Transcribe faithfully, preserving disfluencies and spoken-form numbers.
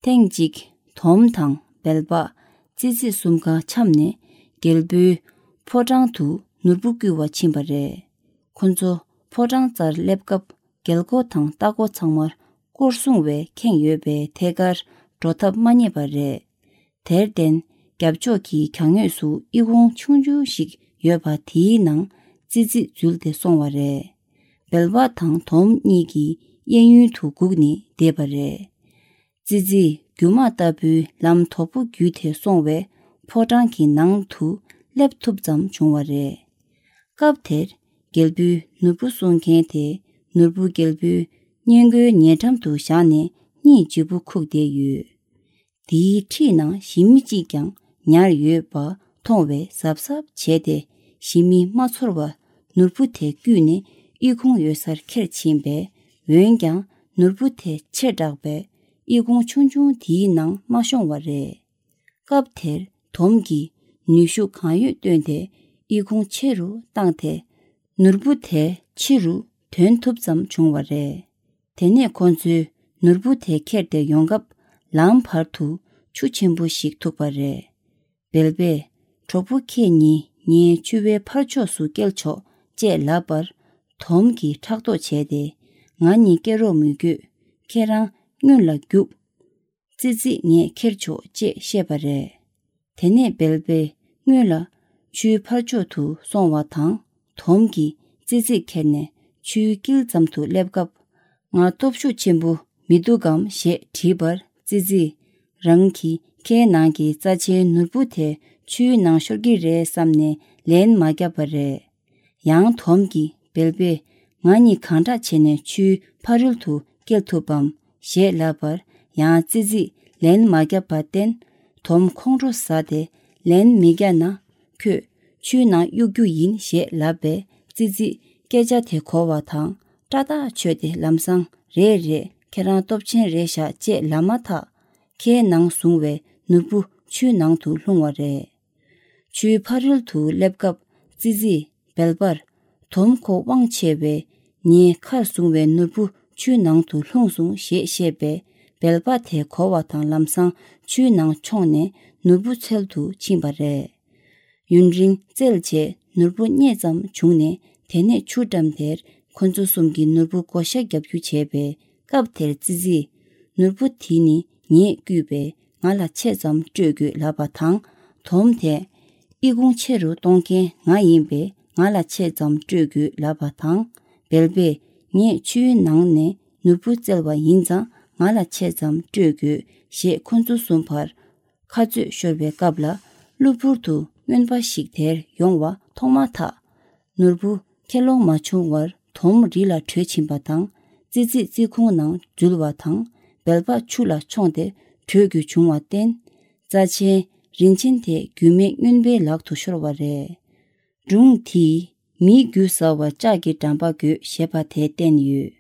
ཐེངས་གཅིག་དོམ་དང་སྦལ་པ། ཙི་ཙི་གསུམ་ཀ་འཆམ་ནས་རྒྱལ་པོའི་ཕོ་བྲང་དུ་ནོར་བུ་བསྐུར་བ་ཕྱིན་པ་རེད། ཁོ་ཚོ་ཕོ་བྲང་རྩར་སླེབས་སྐབས་རྒྱལ་སྒོ་དང་ལྟག་སྒོ་ཚང་མར་སྐོར་སྲུང་བས་ཁེངས་ཡོད་པས་ཐད་ཀར་འགྲོ་ཐབས་མ་རྙེད་པ་རེད། དེར་བརྟེན་རྒྱབ་ཕྱོགས་ཀྱི་གྱང་ངོས་སུ་ཨི་ཁུང་ཆུང་ཆུང་ཞིག་ཡོད་པ་དེའི་ནང་ཙི་ཙི་འཛུལ་ཏེ་སོང་བ་རེད། སྦལ་པ་དང་དོམ་གཉིས་ཀྱི་གཡས་གཡོན་དུ་སྒུག་ནས་བསྡད་པ་རེད། ཙི་ཙི་རྒྱུ་མ་ལྟ་བུའི་ལམ་དོག་པོ་བརྒྱུད་དེ་སོང་བས་ཕོ་བྲང་གི་ནང་དུ་སླེབས་ཐུབ་ཙམ་བྱུང་བ་རེད། སྐབས་དེར་རྒྱལ་པོའི་ནོར་བུ་སྲུང་མཁན་དེ་ནོར་བུ་རྒྱལ་པོའི་སྔས་མགོའི་ཉེ་འགྲམ་དུ་བཞག་ནས་གཉིད་ལྗིད་པོ་ཁུག་བསྡད་ཡོད། དེའི་འཁྲིས་ནང་ཞི་མི་གཅིག་ཀྱང་ཉར་ཡོད་པ་མཐོང་བས་གཟབ་གཟབ་བྱས་ཏེ་ཞི་མི་མ་ཚོར་བར་ནོར་བུ་དེ་བརྐུས་ནས་ཨི་ཁུང་ཡོད་སར་ཁྱེར་ཕྱིན་པས། འོན་ཀྱང་ནོར་བུ་དེ་ཆེ་དྲགས་པས་ཨི་ཁུང་ཆུང་ཆུང་དེའི་ནང་མ་ཤོང་བ་རེད། སྐབས་དེར་དོམ་གྱིས་ནུས་ཤུགས་གང་ཡོད་བཏོན་ཏེ་ཨི་ཁུང་ཆེ་རུ་བཏང་སྟེ་ནོར་བུ་དེ་ཕྱི་རུ་དོན་ཐུབ་ཙམ་བྱུང་བ་རེད། དེ་ནས་ཁོ་ཚོས་ནོར་བུ་དེ་ཁྱེར་ཏེ་ཡོང་སྐབས་ལམ་བར་དུ་ཆུ་ཆེན་པོ་ཞིག་ཐུག་པ་རེད། སྦལ་པས་གྲོགས་པོ་ཁྱེད་གཉིས་ངའི་ཕྱུ་པའི་ཕར་ཕྱོགས་སུ་སྐྱེལ་ཆོག་ཅེས་ལབ་པར། དོམ་གྱིས་ཕྲག་དོག་བྱས་ཏེ་ང་གཉིས་སྐྱེལ་རོགས་མི་དགོས། ཁྱེད་རང་སྔོན་ལ་རྒྱུགས། ཙི་ཙི་ངས་ཁྱེར་ཆོག་ཅེས་བཤད་པ་རེད། དེ་ནས་སྦལ་པས་སྔོན་ལ་ཆུའི་ཕར་ཕྱོགས་དུ་སོང་བ་དང་། དོམ་གྱིས་ཙི་ཙི་ཁྱེར་ནས་ཆུའི་དཀྱིལ་ཙམ་དུ་སླེབས་སྐབས། ང་སྟོབས་ཤུགས་ཆེན་པོ་མི་འདུག་གམ་ཞེས་དྲིས་པར། ཙི་ཙིས་རང་གིས་ཁའི་ནང་གི་རྩ་ཆེན་ནོར་བུ་དེ་ཆུའི་ནང་ཤོར་གྱི་རེད་བསམ་ནས་ལན་མ་བརྒྱབ་པ་རེད། ཡང་དོམ་གྱིས་སྦལ་པས་ང་གཉིས་གང་འདྲ་བྱས་ནས་ཆུའི་ཕ་རོལ་དུ་སྐྱེལ་ཐུབ་བམ་ཞེས་ལབ་པར། ཡང་ཙི་ཙིས་ལན་མ་བརྒྱབ་པར་བརྟེན། དོམ་ཁོང་ཁྲོ་ཟ་སྟེ་ལན་མི་བརྒྱབ་ན་ཁྱོད་ཆུའི་ནང་གཡུག་རྒྱུ་ཡིན་ཞེས་ལབ་པས། ཙི་ཙིས་སྐད་ཆ་དེ་གོ་བ་དང་སྐྲག་ཐག་ཆོད་དེ་ལམ་སང་རེད་རེད། ཁྱེད་རང་སྟོབས་ཆེན་རེད་ཤག་ཅེས་ལབ་མ་ཐག་ཁའི་ནང་བཟུང་བའི་ནོར་བུ་ཆུའི་ནང་དུ་ལྷུང་བ་རེད། ཆུའི་ཕ་རོལ་དུ་སླེབས་སྐབས་ཙི་ཙིས་སྦལ་པར། དོམ་ཁོ་དབང་ཆེ་བས་ངའི་ཁར་བཟུང་བའི་ནོར་བུ་ཆུའི་ནང་དུ་ལྷུང་སོང་ཞེས་བཤད་པས། སྦལ་པ་དེ་གོ་བ་དང་ལམ་སང་ཆུའི་ནང་མཆོངས་ནས་ནོར་བུ་འཚོལ་དུ་ཕྱིན་པ་རེད། ཡུན་རིང་བཙལ་རྗེས་ནོར་བུ་རྙེད་ཙམ་བྱུང་ནས། དེ་ནས་ཆུ་འགྲམ་དེར་ཁོ་ཚོ་གསུམ་གྱིས་ནོར་བུ་བགོ་བཤའ་རྒྱབ་རྒྱུ་བྱས་པས། སྐབས་དེར་ཙི་ཙིས་ནོར་བུ་དེ་ནི་ངས་བརྐུས་པས་ང་ལ་ཆེ་ཙམ་སྤྲོད་དགོས་ལབ་པ་དང་། དོམ་དེས་ཨི་ཁུང་ཆེ་རུ་གཏོང་མཁན་ང་ཡིན་པས་ང་ལ་ཆེ་ཙམ་སྤྲོད་དགོས་ལབ་པ་དང་། སྦལ་པས་ངས་ཆུའི་ནང་ནས་ནོར་བུ་བཙལ་བ་ཡིན་ཙང་ང་ལ་ཆེ་ཙམ་སྤྲོད་དགོས་ཞེས་ཁོ་ཚོ་གསུམ་བར་ཁ་རྩོད་ཤོར་བའི་སྐབས་ལ། གློ་བུར་དུ་རྔོན་པ་ཞིག་དེར་ཡོང་བ་མཐོང་མ་ཐག་ནོར་བུ་ཁྱེར་ལོང་མ་བྱུང་བར་དོམ་རི་ལ་བྲོས་ཕྱིན་པ་དང་། ཙི་ཙི་རྩི་ཁུང་ནང་འཛུལ་བ་དང་། སྦལ་པ་ཆུ་ལ་མཆོངས་ཏེ་བྲོས་རྒྱུ་བྱུང་བར་བརྟེན། རྩ་ཆེན་རིན་ཆེན་དེ་རྒྱུས་མེད་རྔོན་པའི་ལག་ཏུ་ཤོར་བ་རེད། སྒྲུང་དེས་མིའི་རྒྱུ་ཟ་བར་ལྕགས་ཀྱི་འགྲམ་པ་དགོས་ཞེས་པ་དེ་བསྟན་ཡོད།